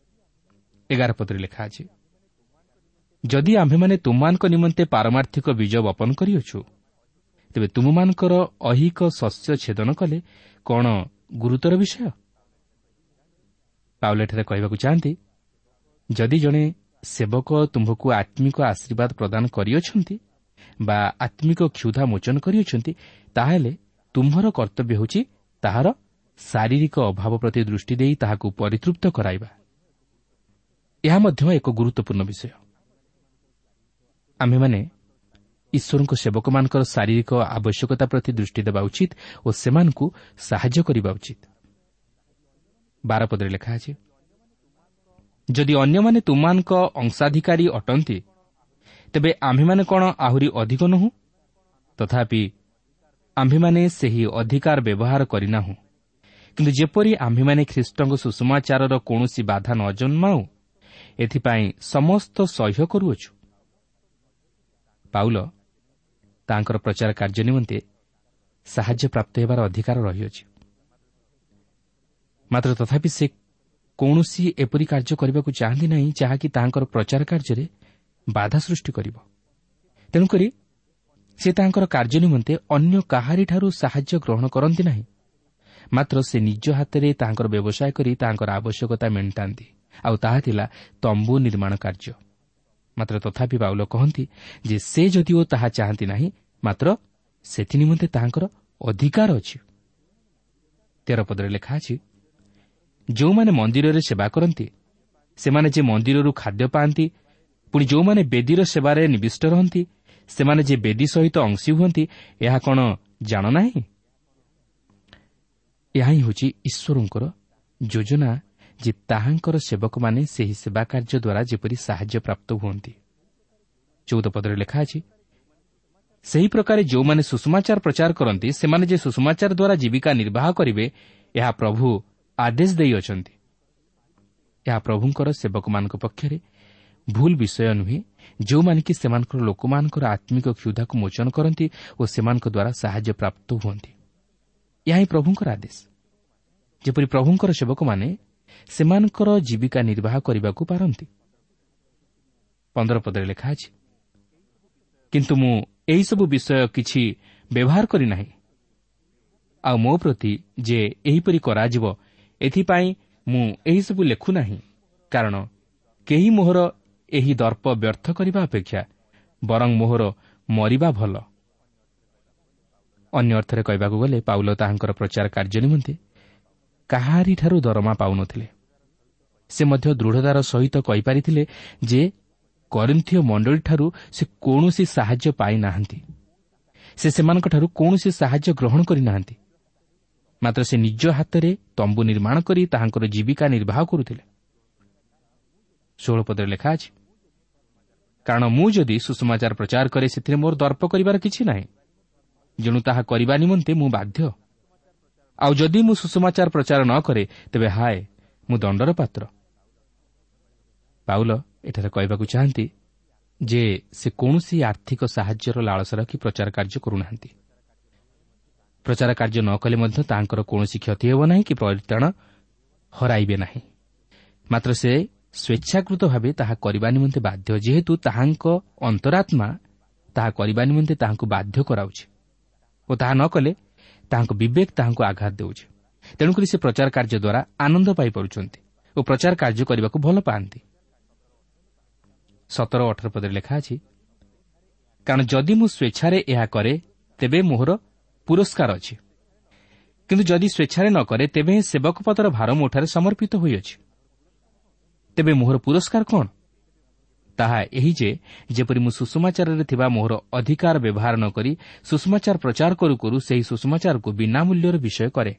11 ପଦରେ ଲେଖା ଅଛି, ଯଦି ଆମ୍ଭେମାନେ ତୁମମାନଙ୍କ ନିମନ୍ତେ ପାରମାର୍ଥିକ ବୀଜ ବପନ କରିଅଛୁ, ତେବେ ତୁମମାନଙ୍କର ଐହିକ ଶସ୍ୟ ଛେଦନ କଲେ କ'ଣ ଗୁରୁତର ବିଷୟ? ପାଉଲ ଏଠାରେ କହିବାକୁ ଚାହାନ୍ତି, ଯଦି ଜଣେ ସେବକ ତୁମ୍ଭକୁ ଆତ୍ମିକ ଆଶୀର୍ବାଦ ପ୍ରଦାନ କରିଅଛନ୍ତି ବା ଆତ୍ମିକ କ୍ଷୁଧା ମୋଚନ କରିଅଛନ୍ତି, ତାହେଲେ ତୁମ୍ଭର କର୍ତ୍ତବ୍ୟ ହେଉଛି ତାହାର ଶାରୀରିକ ଅଭାବ ପ୍ରତି ଦୃଷ୍ଟି ଦେଇ ତାହାକୁ ପରିତୃପ୍ତ କରାଇବା। ଏହା ମଧ୍ୟ ଏକ ଗୁରୁତ୍ୱପୂର୍ଣ୍ଣ ବିଷୟ। ଆମ୍ଭେମାନେ ଈଶ୍ୱରଙ୍କ ସେବକମାନଙ୍କର ଶାରୀରିକ ଆବଶ୍ୟକତା ପ୍ରତି ଦୃଷ୍ଟି ଦେବା ଉଚିତ ଓ ସେମାନଙ୍କୁ ସାହାଯ୍ୟ କରିବା ଉଚିତ। 12 ପଦରେ ଲେଖା ଅଛି, ଯଦି ଅନ୍ୟମାନେ ତୁମମାନଙ୍କ ଅଂଶାଧିକାରୀ ଅଟନ୍ତି, ତେବେ ଆମ୍ଭେମାନେ କ'ଣ ଆହୁରି ଅଧିକ ନୋହୁଁ? ତଥାପି ଆମ୍ଭେମାନେ ସେହି ଅଧିକାର ବ୍ୟବହାର କରିନାହୁଁ, କିନ୍ତୁ ଯେପରି ଆମ୍ଭେମାନେ ଖ୍ରୀଷ୍ଟଙ୍କ ସୁସମାଚାରର କୌଣସି ବାଧା ନ ଜନ୍ମାଉ, ଏଥିପାଇଁ ସମସ୍ତ ସହ୍ୟ କରୁଅଛୁ। ପାଉଲ ତାଙ୍କର ପ୍ରଚାର କାର୍ଯ୍ୟ ନିମନ୍ତେ ସାହାଯ୍ୟ ପ୍ରାପ୍ତ ହେବାର ଅଧିକାର ରହିଅଛି, ମାତ୍ର ତଥାପି ସେ କୌଣସି ଏପରି କାର୍ଯ୍ୟ କରିବାକୁ ଚାହାନ୍ତି ନାହିଁ ଯାହାକି ତାହାଙ୍କର ପ୍ରଚାର କାର୍ଯ୍ୟରେ ବାଧା ସୃଷ୍ଟି କରିବ। ତେଣୁକରି ସେ ତାହାଙ୍କର କାର୍ଯ୍ୟ ନିମନ୍ତେ ଅନ୍ୟ କାହାରିଠାରୁ ସାହାଯ୍ୟ ଗ୍ରହଣ କରନ୍ତି ନାହିଁ, ମାତ୍ର ସେ ନିଜ ହାତରେ ତାହାଙ୍କର ବ୍ୟବସାୟ କରି ତାହାଙ୍କର ଆବଶ୍ୟକତା ମେଣ୍ଟାନ୍ତି, ଆଉ ତାହା ଥିଲା ତମ୍ବୁ ନିର୍ମାଣ କାର୍ଯ୍ୟ। ମାତ୍ର ତଥାପି ପାଉଲ କହନ୍ତି ଯେ ସେ ଯଦିଓ ତାହା ଚାହାନ୍ତି ନାହିଁ, ମାତ୍ର ସେଥି ନିମନ୍ତେ ତାହାଙ୍କର ଅଧିକାର ଅଛି। 13 ପଦରେ ଲେଖା ଅଛି, ଯେଉଁମାନେ ମନ୍ଦିରରେ ସେବା କରନ୍ତି ସେମାନେ ଯେ ମନ୍ଦିରରୁ ଖାଦ୍ୟ ପାଆନ୍ତି, ପୁଣି ଯେଉଁମାନେ ବେଦୀର ସେବାରେ ନିବିଷ୍ଟ ରହନ୍ତି ସେମାନେ ଯେ ବେଦୀ ସହିତ ଅଂଶୀ ହୁଅନ୍ତି, ଏହା କ'ଣ ଜାଣ ନାହିଁ? ଏହା ହିଁ ହେଉଛି ଈଶ୍ୱରଙ୍କର ଯୋଜନା ଯେ ତାହାଙ୍କର ସେବକମାନେ ସେହି ସେବା କାର୍ଯ୍ୟ ଦ୍ୱାରା ଯେପରି ସାହାଯ୍ୟ ପ୍ରାପ୍ତ ହୁଅନ୍ତି। 14 ପଦରେ ଲେଖା ଅଛି, ସେହି ପ୍ରକାରେ ଯେଉଁମାନେ ସୁସମାଚାର ପ୍ରଚାର କରନ୍ତି ସେମାନେ ଯେ ସୁସମାଚାର ଦ୍ୱାରା ଜୀବିକା ନିର୍ବାହ କରିବେ, ଏହା ପ୍ରଭୁ ଆଦେଶ ଦେଇଅଛନ୍ତି। ଏହା ପ୍ରଭୁଙ୍କର ସେବକମାନଙ୍କ ପକ୍ଷରେ ଭୁଲ ବିଷୟ ନୁହେଁ, ଯେଉଁମାନେ କି ସେମାନଙ୍କର ଲୋକମାନଙ୍କର ଆତ୍ମିକ କ୍ଷୁଧାକୁ ମୋଚନ କରନ୍ତି ଓ ସେମାନଙ୍କ ଦ୍ୱାରା ସାହାଯ୍ୟ ପ୍ରାପ୍ତ ହୁଅନ୍ତି। ଏହା ହିଁ ପ୍ରଭୁଙ୍କର ଆଦେଶ, ଯେପରି ପ୍ରଭୁଙ୍କର ସେବକମାନେ ସେମାନଙ୍କର ଜୀବିକା ନିର୍ବାହ କରିବାକୁ ପାରନ୍ତି। 15 ପଦରେ ଲେଖା ଅଛି, କିନ୍ତୁ ମୁଁ ଏହିସବୁ ବିଷୟ କିଛି ବ୍ୟବହାର କରିନାହିଁ, ଆଉ ମୋ ପ୍ରତି ଯେ ଏହିପରି କରାଯିବ ଏଥିପାଇଁ ମୁଁ ଏହିସବୁ ଲେଖୁନାହିଁ, କାରଣ କେହି ମୋହର ଏହି ଦର୍ପ ବ୍ୟର୍ଥ କରିବା ଅପେକ୍ଷା ବରଂ ମୋହର ମରିବା ଭଲ। ଅନ୍ୟ ଅର୍ଥରେ କହିବାକୁ ଗଲେ ପାଉଲ ତାହାଙ୍କର ପ୍ରଚାର କାର୍ଯ୍ୟ ନିମନ୍ତେ କାହାରିଠାରୁ ଦରମା ପାଉନଥିଲେ। ସେ ମଧ୍ୟ ଦୃଢ଼ତାର ସହିତ କହିପାରିଥିଲେ ଯେ କରିନ୍ଥୀୟ ମଣ୍ଡଳୀଠାରୁ ସେ କୌଣସି ସାହାଯ୍ୟ ପାଇନାହାନ୍ତି, ସେ ସେମାନଙ୍କଠାରୁ କୌଣସି ସାହାଯ୍ୟ ଗ୍ରହଣ କରିନାହାନ୍ତି, ମାତ୍ର ସେ ନିଜ ହାତରେ ତମ୍ବୁ ନିର୍ମାଣ କରି ତାହାଙ୍କର ଜୀବିକା ନିର୍ବାହ କରୁଥିଲେ। 16 ପଦରେ ଲେଖା ଅଛି, କାରଣ ମୁଁ ଯଦି ସୁସମାଚାର ପ୍ରଚାର କରେ ସେଥିରେ ମୋର ଦର୍ପ କରିବାର କିଛି ନାହିଁ, ଯେଣୁ ତାହା କରିବା ନିମନ୍ତେ ମୁଁ ବାଧ୍ୟ। ଆଉ ଯଦି ମୁଁ ସୁସମାଚାର ପ୍ରଚାର ନ କରେ ତେବେ ହାୟ, ମୁଁ ଦଣ୍ଡର ପାତ୍ର। ପାଉଲ ଏଠାରେ କହିବାକୁ ଚାହାନ୍ତି ଯେ ସେ କୌଣସି ଆର୍ଥିକ ସାହାଯ୍ୟର ଲାଳସା ରଖି ପ୍ରଚାର କାର୍ଯ୍ୟ କରୁନାହାନ୍ତି। ପ୍ରଚାର କାର୍ଯ୍ୟ ନ କଲେ ମଧ୍ୟ ତାଙ୍କର କୌଣସି କ୍ଷତି ହେବ ନାହିଁ କି ପରିତ୍ରାଣ ହରାଇବେ ନାହିଁ, ମାତ୍ର ସେ ସ୍ୱେଚ୍ଛାକୃତ ଭାବେ ତାହା କରିବା ନିମନ୍ତେ ବାଧ୍ୟ, ଯେହେତୁ ତାହାଙ୍କ ଅନ୍ତରାତ୍ମା ତାହା କରିବା ନିମନ୍ତେ ତାହାଙ୍କୁ ବାଧ୍ୟ କରାଉଛି ଓ ତାହା ନ କଲେ ତାହାଙ୍କ ବିବେକ ତାହାଙ୍କୁ ଆଘାତ ଦେଉଛି। ତେଣୁକରି ସେ ପ୍ରଚାର କାର୍ଯ୍ୟ ଦ୍ୱାରା ଆନନ୍ଦ ପାଇପାରୁଛନ୍ତି ଓ ପ୍ରଚାର କାର୍ଯ୍ୟ କରିବାକୁ ଭଲ ପାଆନ୍ତି। 17-18 ପଦରେ ଲେଖା ଅଛି, କାରଣ ଯଦି ମୁଁ ସ୍ୱେଚ୍ଛାରେ ଏହା କରେ ତେବେ ମୋହର ପୁରସ୍କାର ଅଛି, କିନ୍ତୁ ଯଦି ସ୍ୱେଚ୍ଛାରେ ନ କରେ ତେବେ ସେବକ ପଦର ଭାର ମୋଠାରେ ସମର୍ପିତ ହୋଇଅଛି। ତେବେ ମୋହର ପୁରସ୍କାର କ'ଣ? ତାହା ଏହି ଯେ, ଯେପରି ମୁଁ ସୁଷମାଚାରରେ ଥିବା ମୋହର ଅଧିକାର ବ୍ୟବହାର ନ କରି ସୁଷମାଚାର ପ୍ରଚାର କରୁ କରୁ ସେହି ସୁଷମାଚାରକୁ ବିନା ମୂଲ୍ୟର ବିଷୟ କରେ।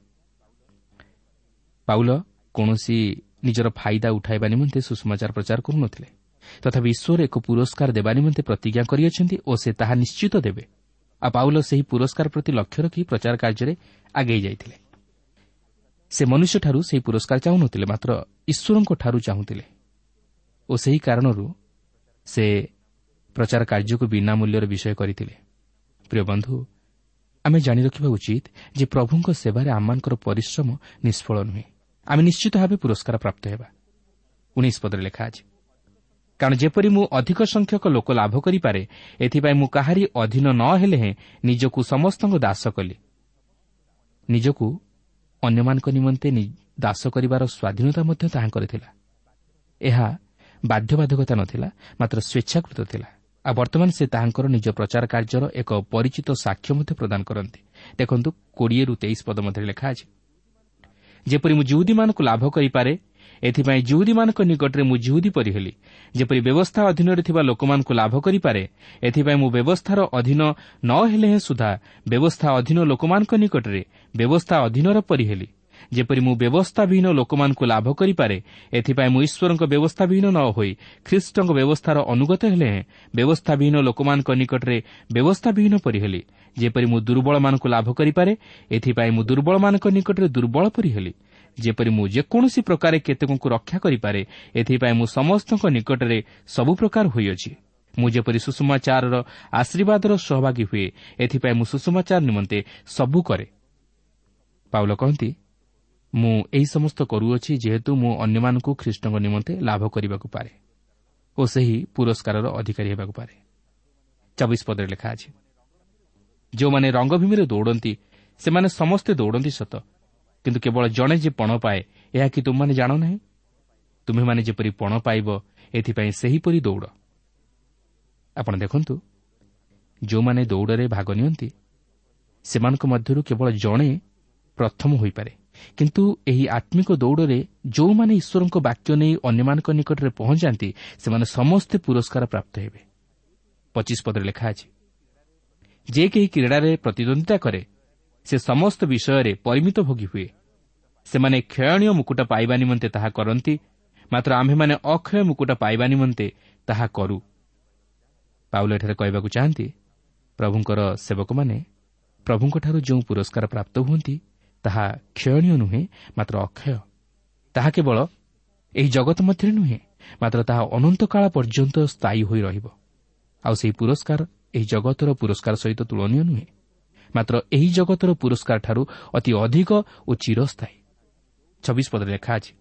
ପାଉଲ କୌଣସି ନିଜର ଫାଇଦା ଉଠାଇବା ନିମନ୍ତେ ସୁଷମାଚାର ପ୍ରଚାର କରୁନଥିଲେ। ତଥାପି ଈଶ୍ୱର ଏକ ପୁରସ୍କାର ଦେବା ନିମନ୍ତେ ପ୍ରତିଜ୍ଞା କରିଅଛନ୍ତି ଓ ସେ ତାହା ନିଶ୍ଚିତ ଦେବେ। ଆଉ ପାଉଲ ସେହି ପୁରସ୍କାର ପ୍ରତି ଲକ୍ଷ୍ୟ ରଖି ପ୍ରଚାର କାର୍ଯ୍ୟରେ ଆଗେଇ ଯାଇଥିଲେ। ସେ ମନୁଷ୍ୟଠାରୁ ସେହି ପୁରସ୍କାର ଚାହୁଁନଥିଲେ, ମାତ୍ର ଈଶ୍ୱରଙ୍କଠାରୁ ଚାହୁଁଥିଲେ ଓ ସେହି କାରଣରୁ ସେ ପ୍ରଚାର କାର୍ଯ୍ୟକୁ ବିନା ମୂଲ୍ୟର ବିଷୟ କରିଥିଲେ। ପ୍ରିୟ ବନ୍ଧୁ, ଆମେ ଜାଣି ରଖିବା ଉଚିତ ଯେ ପ୍ରଭୁଙ୍କ ସେବାରେ ଆମମାନଙ୍କର ପରିଶ୍ରମ ନିଷ୍ଫଳ ନୁହେଁ। ଆମେ ନିଶ୍ଚିତ ଭାବେ ପୁରସ୍କାର ପ୍ରାପ୍ତ ହେବା। 19 ପଦରେ ଲେଖା ଅଛି, କାରଣ ଯେପରି ମୁଁ ଅଧିକ ସଂଖ୍ୟକ ଲୋକ ଲାଭ କରିପାରେ, ଏଥିପାଇଁ ମୁଁ କାହାରି ଅଧୀନ ନ ହେଲେ ହେଁ ନିଜକୁ ସମସ୍ତଙ୍କ ଦାସ କଲି। ନିଜକୁ ଅନ୍ୟମାନଙ୍କ ନିମନ୍ତେ ଦାସ କରିବାର ସ୍ୱାଧୀନତା ମଧ୍ୟ ତାହାଙ୍କର ଥିଲା। ଏହା ବାଧ୍ୟବାଧକତା ନଥିଲା, ମାତ୍ର ସ୍ୱେଚ୍ଛାକୃତ ଥିଲା। ଆଉ ବର୍ତ୍ତମାନ ସେ ତାହାଙ୍କର ନିଜ ପ୍ରଚାର କାର୍ଯ୍ୟର ଏକ ପରିଚିତ ସାକ୍ଷ୍ୟ ମଧ୍ୟ ପ୍ରଦାନ କରନ୍ତି। ଦେଖନ୍ତୁ 20ରୁ 23 ପଦ ମଧ୍ୟରେ ଲେଖା ଅଛି, ଯେପରି ମୁଁ ଯିହୁଦୀମାନଙ୍କୁ ଲାଭ କରିପାରେ, ଏଥିପାଇଁ ଯିହୁଦୀମାନଙ୍କ ନିକଟରେ ମୁଁ ଯିହୁଦୀ ପରି ହେଲି। ଯେପରି ବ୍ୟବସ୍ଥା ଅଧୀନରେ ଥିବା ଲୋକମାନଙ୍କୁ ଲାଭ କରିପାରେ, ଏଥିପାଇଁ ମୁଁ ବ୍ୟବସ୍ଥାର ଅଧୀନ ନ ହେଲେ ହେଁ ସୁଦ୍ଧା ବ୍ୟବସ୍ଥା ଅଧୀନ ଲୋକମାନଙ୍କ ନିକଟରେ ବ୍ୟବସ୍ଥା ଅଧୀନର ପରି ହେଲି। ଯେପରି ମୁଁ ବ୍ୟବସ୍ଥାବିହୀନ ଲୋକମାନଙ୍କୁ ଲାଭ କରିପାରେ, ଏଥିପାଇଁ ମୁଁ ଈଶ୍ୱରଙ୍କ ବ୍ୟବସ୍ଥାବିହୀନ ନ ହୋଇ ଖ୍ରୀଷ୍ଟଙ୍କ ବ୍ୟବସ୍ଥାର ଅନୁଗତ ହେଲେ ହେଁ ବ୍ୟବସ୍ଥାବିହୀନ ଲୋକମାନଙ୍କ ନିକଟରେ ବ୍ୟବସ୍ଥାବିହୀନ ପରି ହେଲି। ଯେପରି ମୁଁ ଦୁର୍ବଳମାନଙ୍କୁ ଲାଭ କରିପାରେ, ଏଥିପାଇଁ ମୁଁ ଦୁର୍ବଳମାନଙ୍କ ନିକଟରେ ଦୁର୍ବଳ ପରି ହେଲି। ଯେପରି ମୁଁ ଯେକୌଣସି ପ୍ରକାରେ କେତେକଙ୍କୁ ରକ୍ଷା କରିପାରେ, ଏଥିପାଇଁ ମୁଁ ସମସ୍ତଙ୍କ ନିକଟରେ ସବୁ ପ୍ରକାର ହୋଇଅଛି। ମୁଁ ଯେପରି ସୁଷମାଚାରର ଆଶୀର୍ବାଦର ସହଭାଗୀ ହୁଏ, ଏଥିପାଇଁ ମୁଁ ସୁଷମାଚାର ନିମନ୍ତେ ସବୁ କରେ। ପାଉଲ କହନ୍ତି, ମୁଁ ଏହି ସମସ୍ତ କରୁଅଛି ଯେହେତୁ ମୁଁ ଅନ୍ୟମାନଙ୍କୁ ଖ୍ରୀଷ୍ଟଙ୍କ ନିମନ୍ତେ ଲାଭ କରିବାକୁ ପାରେ ଓ ସେହି ପୁରସ୍କାରର ଅଧିକାରୀ ହେବାକୁ ପାରେ। 24 ପଦରେ ଲେଖା ଅଛି, ଯେଉଁମାନେ ରଙ୍ଗଭୂମିରେ ଦୌଡ଼ନ୍ତି ସେମାନେ ସମସ୍ତେ ଦୌଡ଼ନ୍ତି ସତ, କିନ୍ତୁ କେବଳ ଜଣେ ଯେ ପଣ ପାଏ, ଏହା କି ତୁମମାନେ ଜାଣ ନାହିଁ? ତୁମେମାନେ ଯେପରି ପଣ ପାଇବ, ଏଥିପାଇଁ ସେହିପରି ଦୌଡ଼। ଆପଣ ଦେଖନ୍ତୁ, ଯେଉଁମାନେ ଦୌଡ଼ରେ ଭାଗ ନିଅନ୍ତି ସେମାନଙ୍କ ମଧ୍ୟରୁ କେବଳ ଜଣେ ପ୍ରଥମ ହୋଇପାରେ, କିନ୍ତୁ ଏହି ଆତ୍ମିକ ଦୌଡ଼ରେ ଯେଉଁମାନେ ଈଶ୍ୱରଙ୍କ ବାକ୍ୟ ନେଇ ଅନ୍ୟମାନଙ୍କ ନିକଟରେ ପହଞ୍ଚାନ୍ତି ସେମାନେ ସମସ୍ତେ ପୁରସ୍କାର ପ୍ରାପ୍ତ ହେବେ। 25 ପଦରେ ଲେଖା ଅଛି, ଯେ କେହି କ୍ରୀଡ଼ାରେ ପ୍ରତିଦ୍ୱନ୍ଦିତା କରେ ସେ ସମସ୍ତ ବିଷୟରେ ପରିମିତ ଭୋଗୀ ହୁଏ। ସେମାନେ କ୍ଷୟଣୀୟ ମୁକୁଟ ପାଇବା ନିମନ୍ତେ ତାହା କରନ୍ତି, ମାତ୍ର ଆମ୍ଭେମାନେ ଅକ୍ଷୟ ମୁକୁଟ ପାଇବା ନିମନ୍ତେ ତାହା କରୁ। ପାଉଲ ଏଠାରେ କହିବାକୁ ଚାହାନ୍ତି, ପ୍ରଭୁଙ୍କର ସେବକମାନେ ପ୍ରଭୁଙ୍କଠାରୁ ଯେଉଁ ପୁରସ୍କାର ପ୍ରାପ୍ତ ହୁଅନ୍ତି ତାହା କ୍ଷୟଣୀୟ ନୁହେଁ, ମାତ୍ର ଅକ୍ଷୟ। ତାହା କେବଳ ଏହି ଜଗତ ମଧ୍ୟରେ ନୁହେଁ, ମାତ୍ର ତାହା ଅନନ୍ତକାଳ ପର୍ଯ୍ୟନ୍ତ ସ୍ଥାୟୀ ହୋଇ ରହିବ। ଆଉ ସେହି ପୁରସ୍କାର ଏହି ଜଗତର ପୁରସ୍କାର ସହିତ ତୁଳନୀୟ ନୁହେଁ, ମାତ୍ର ଏହି ଜଗତର ପୁରସ୍କାରଠାରୁ ଅତି ଅଧିକ ଓ ଚିରସ୍ଥାୟୀ। 26 ପଦରେ ଲେଖା ଅଛି,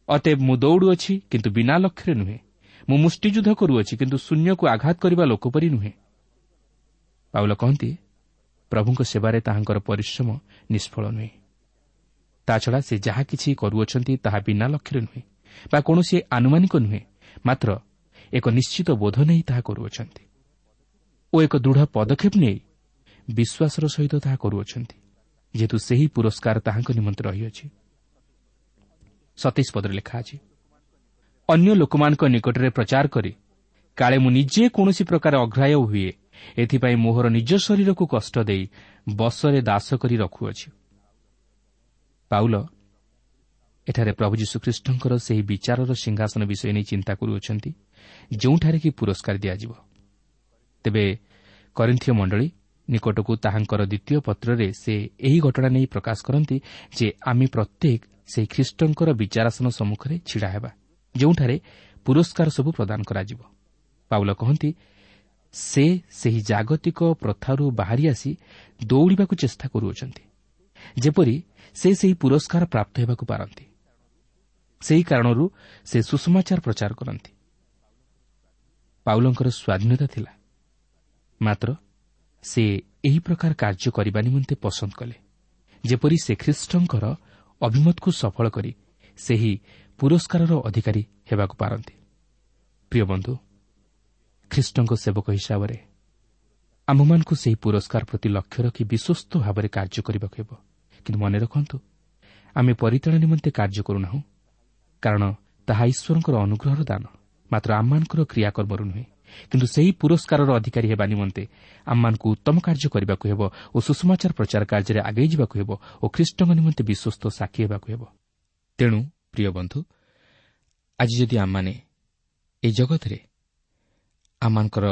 ଅତଏବ ମୁଁ ଦୌଡ଼ୁଅଛି, କିନ୍ତୁ ବିନା ଲକ୍ଷ୍ୟରେ ନୁହେଁ। ମୁଁ ମୁଷ୍ଟିଯୁଦ୍ଧ କରୁଅଛି, କିନ୍ତୁ ଶୂନ୍ୟକୁ ଆଘାତ କରିବା ଲୋକ ପରି ନୁହେଁ। ପାଉଲ କହନ୍ତି, ପ୍ରଭୁଙ୍କ ସେବାରେ ତାହାଙ୍କର ପରିଶ୍ରମ ନିଷ୍ଫଳ ନୁହେଁ। ତାଛଡ଼ା ସେ ଯାହା କିଛି କରୁଅଛନ୍ତି ତାହା ବିନା ଲକ୍ଷ୍ୟରେ ନୁହେଁ ବା କୌଣସି ଆନୁମାନିକ ନୁହେଁ, ମାତ୍ର ଏକ ନିଶ୍ଚିତ ବୋଧ ନେଇ ତାହା କରୁଅଛନ୍ତି ଓ ଏକ ଦୃଢ଼ ପଦକ୍ଷେପ ନେଇ ବିଶ୍ୱାସର ସହିତ ତାହା କରୁଅଛନ୍ତି, ଯେହେତୁ ସେହି ପୁରସ୍କାର ତାହାଙ୍କ ନିମନ୍ତେ ରହିଅଛି। 27 ପଦରେ ଲେଖା ଅଛି, ଅନ୍ୟ ଲୋକମାନଙ୍କ ନିକଟରେ ପ୍ରଚାର କରି କାଳେ ମୁଁ ନିଜେ କୌଣସି ପ୍ରକାର ଅଗ୍ରାହ୍ୟ ହୁଏ, ଏଥିପାଇଁ ମୋହର ନିଜ ଶରୀରକୁ କଷ୍ଟ ଦେଇ ବଶରେ ଦାସ କରି ରଖୁଅଛି। ପାଉଲ ଏଠାରେ ପ୍ରଭୁ ଯୀଶୁଖ୍ରୀଷ୍ଟଙ୍କର ସେହି ବିଚାରର ସିଂହାସନ ବିଷୟ ନେଇ ଚିନ୍ତା କରୁଅଛନ୍ତି, ଯେଉଁଠାରେ କି ପୁରସ୍କାର ଦିଆଯିବ। ତେବେ କରିନ୍ଥୀୟ ମଣ୍ଡଳୀ ନିକଟକୁ ତାହାଙ୍କର ଦ୍ୱିତୀୟ ପତ୍ରରେ ସେ ଏହି ଘଟଣା ନେଇ ପ୍ରକାଶ କରନ୍ତି ଯେ ଆମେ ପ୍ରତ୍ୟେକ ସେହି ଖ୍ରୀଷ୍ଟଙ୍କର ବିଚାରାସନ ସମ୍ମୁଖରେ ଛିଡ଼ା ହେବା, ଯେଉଁଠାରେ ପୁରସ୍କାର ସବୁ ପ୍ରଦାନ କରାଯିବ। ପାଉଲ କହନ୍ତି, ସେ ସେହି ଜାଗତିକ ପ୍ରଥାରୁ ବାହାରି ଆସି ଦୌଡ଼ିବାକୁ ଚେଷ୍ଟା କରୁଅଛନ୍ତି, ଯେପରି ସେ ସେହି ପୁରସ୍କାର ପ୍ରାପ୍ତ ହେବାକୁ ପାରନ୍ତି। ସେହି କାରଣରୁ ସେ ସୁସମାଚାର ପ୍ରଚାର କରନ୍ତି। ପାଉଲଙ୍କର ସ୍ୱାଧୀନତା ଥିଲା, ମାତ୍ର ସେ ଏହି ପ୍ରକାର କାର୍ଯ୍ୟ କରିବା ନିମନ୍ତେ ପସନ୍ଦ କଲେ, ଯେପରି ସେ ଖ୍ରୀଷ୍ଟଙ୍କର ଅଭିମତକୁ ସଫଳ କରି ସେହି ପୁରସ୍କାରର ଅଧିକାରୀ ହେବାକୁ ପାରନ୍ତି। ପ୍ରିୟ ବନ୍ଧୁ, ଖ୍ରୀଷ୍ଟଙ୍କ ସେବକ ହିସାବରେ ଆମ୍ଭମାନଙ୍କୁ ସେହି ପୁରସ୍କାର ପ୍ରତି ଲକ୍ଷ୍ୟ ରଖି ବିଶ୍ୱସ୍ତ ଭାବରେ କାର୍ଯ୍ୟ କରିବାକୁ ହେବ। କିନ୍ତୁ ମନେ ରଖନ୍ତୁ, ଆମେ ପରିତ୍ରାଣ ନିମନ୍ତେ କାର୍ଯ୍ୟ କରୁନାହୁଁ, କାରଣ ତାହା ଈଶ୍ୱରଙ୍କର ଅନୁଗ୍ରହର ଦାନ। ମାତ୍ର ଆମମାନଙ୍କର କ୍ରିୟାକର୍ମରୁ ନୁହେଁ। କିନ୍ତୁ ସେହି ପୁରସ୍କାରର ଅଧିକାରୀ ହେବା ନିମନ୍ତେ ଆମମାନଙ୍କୁ ଉତ୍ତମ କାର୍ଯ୍ୟ କରିବାକୁ ହେବ ଓ ସୁସମାଚାର ପ୍ରଚାର କାର୍ଯ୍ୟରେ ଆଗେଇ ଯିବାକୁ ହେବ ଓ ଖ୍ରୀଷ୍ଟଙ୍କ ନିମନ୍ତେ ବିଶ୍ୱସ୍ତ ସାକ୍ଷୀ ହେବାକୁ ହେବ। ତେଣୁ ପ୍ରିୟ ବନ୍ଧୁ, ଆଜି ଯଦି ଆମମାନେ ଏହି ଜଗତରେ ଆମମାନଙ୍କର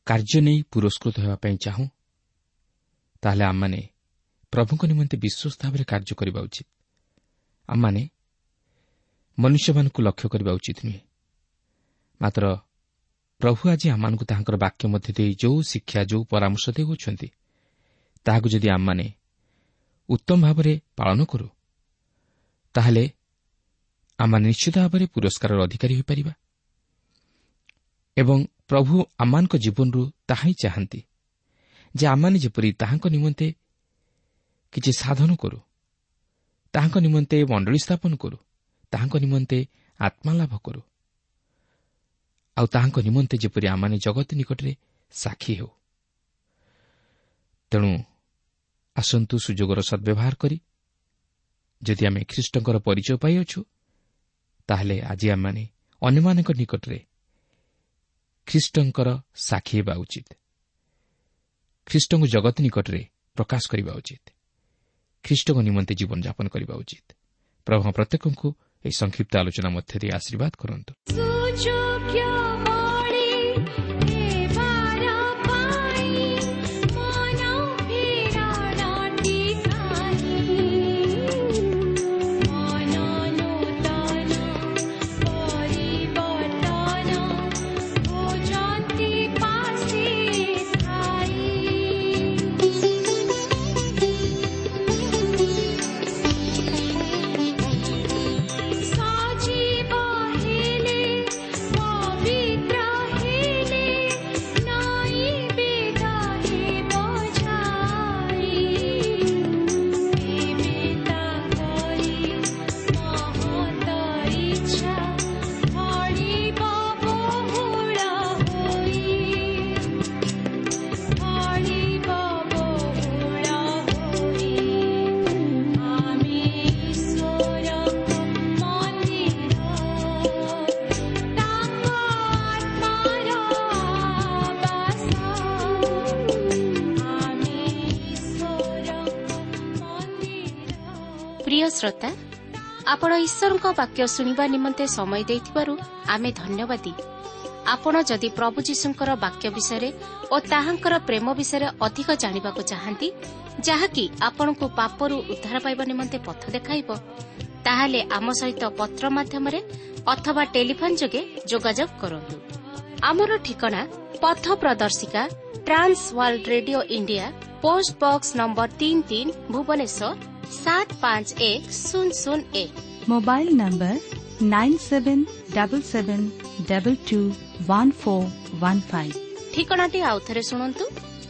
କାର୍ଯ୍ୟ ନେଇ ପୁରସ୍କୃତ ହେବା ପାଇଁ ଚାହୁଁ, ତାହେଲେ ଆମମାନେ ପ୍ରଭୁଙ୍କ ନିମନ୍ତେ ବିଶ୍ୱସ୍ତ ଭାବରେ କାର୍ଯ୍ୟ କରିବା ଉଚିତ। ଆମମାନେ ମନୁଷ୍ୟମାନଙ୍କୁ ଲକ୍ଷ୍ୟ କରିବା ଉଚିତ ନୁହେଁ। ମାତ୍ର ପ୍ରଭୁ ଆଜି ଆମମାନଙ୍କୁ ତାହାଙ୍କର ବାକ୍ୟ ମଧ୍ୟ ଦେଇ ଯେଉଁ ଶିକ୍ଷା, ଯେଉଁ ପରାମର୍ଶ ଦେଉଛନ୍ତି, ତାହାକୁ ଯଦି ଆମମାନେ ଉତ୍ତମ ଭାବରେ ପାଳନ କରୁ, ତାହେଲେ ଆମମାନେ ନିଶ୍ଚିତ ଭାବରେ ପୁରସ୍କାରର ଅଧିକାରୀ ହୋଇପାରିବା। ଏବଂ ପ୍ରଭୁ ଆମମାନଙ୍କ ଜୀବନରୁ ତାହା ହିଁ ଚାହାନ୍ତି ଯେ ଆମମାନେ ଯେପରି ତାହାଙ୍କ ନିମନ୍ତେ କିଛି ସାଧନ କରୁ, ତାହାଙ୍କ ନିମନ୍ତେ ମଣ୍ଡଳୀ ସ୍ଥାପନ କରୁ, ତାହାଙ୍କ ନିମନ୍ତେ ଆତ୍ମାଲାଭ କରୁ, ଆଉ ତାହାଙ୍କ ନିମନ୍ତେ ଯେପରି ଆମମାନେ ଜଗତ ନିକଟରେ ସାକ୍ଷୀ ହେଉ। ତେଣୁ ଆସନ୍ତୁ ସୁଯୋଗର ସଦ୍ବ୍ୟବହାର କରି ଯଦି ଆମେ ଖ୍ରୀଷ୍ଟଙ୍କର ପରିଚୟ ପାଇଅଛୁ, ତାହେଲେ ଆଜି ଆମମାନେ ଅନ୍ୟମାନଙ୍କ ନିକଟରେ ଖ୍ରୀଷ୍ଟଙ୍କର ସାକ୍ଷୀ ହେବା ଉଚିତ। ଖ୍ରୀଷ୍ଟଙ୍କୁ ଜଗତ ନିକଟରେ ପ୍ରକାଶ କରିବା ଉଚିତ। ଖ୍ରୀଷ୍ଟଙ୍କ ନିମନ୍ତେ ଜୀବନଯାପନ କରିବା ଉଚିତ। ପ୍ରଭୁ ପ୍ରତ୍ୟେକଙ୍କୁ ଏହି ସଂକ୍ଷିପ୍ତ ଆଲୋଚନା ମଧ୍ୟ ଦେଇ ଆଶୀର୍ବାଦ କରନ୍ତୁ। ପ୍ରିୟ ଶ୍ରୋତା, ଆପଣ ଈଶ୍ୱରଙ୍କ ବାକ୍ୟ ଶୁଣିବା ନିମନ୍ତେ ସମୟ ଦେଇଥିବାରୁ ଆମେ ଧନ୍ୟବାଦୀ। ଆପଣ ଯଦି ପ୍ରଭୁ ଯୀଶୁଙ୍କର ବାକ୍ୟ ବିଷୟରେ ଓ ତାହାଙ୍କର ପ୍ରେମ ବିଷୟରେ ଅଧିକ ଜାଣିବାକୁ ଚାହାନ୍ତି, ଯାହାକି ଆପଣଙ୍କୁ ପାପରୁ ଉଦ୍ଧାର ପାଇବା ନିମନ୍ତେ ପଥ ଦେଖାଇବ, ତାହେଲେ ଆମ ସହିତ ପତ୍ର ମାଧ୍ୟମରେ ଅଥବା ଟେଲିଫୋନ୍ ଯୋଗେ ଯୋଗାଯୋଗ କରନ୍ତୁ। ଆମର ଠିକଣା ପଥ ପ୍ରଦର୍ଶିକା, Trans World Radio India, post box number 33, Bhubaneswar 751001। Mobile number 9777221415। ଠିକଣାଟି ଆଉଥରେ ଶୁଣନ୍ତୁ।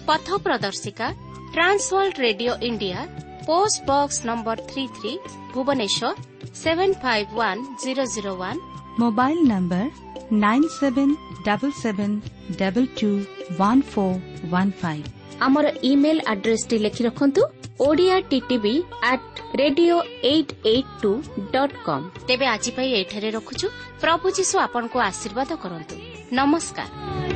ପଥ ପ୍ରଦର୍ଶିକା, Trans World Radio India, post box number 33, Bhubaneswar 751001। Mobile number 9777221415। ଆମର ଇମେଲ୍ ଆଡ୍ରେସଟି ଲେଖି ରଖନ୍ତୁ, Odia TTV at radio 882.com। ତେବେ ଆଜି ପାଇଁ ଏଠାରେ ରଖୁଛୁ। ପ୍ରଭୁ ଯୀଶୁ ଆପଣଙ୍କୁ ଆଶୀର୍ବାଦ କରନ୍ତୁ। ନମସ୍କାର।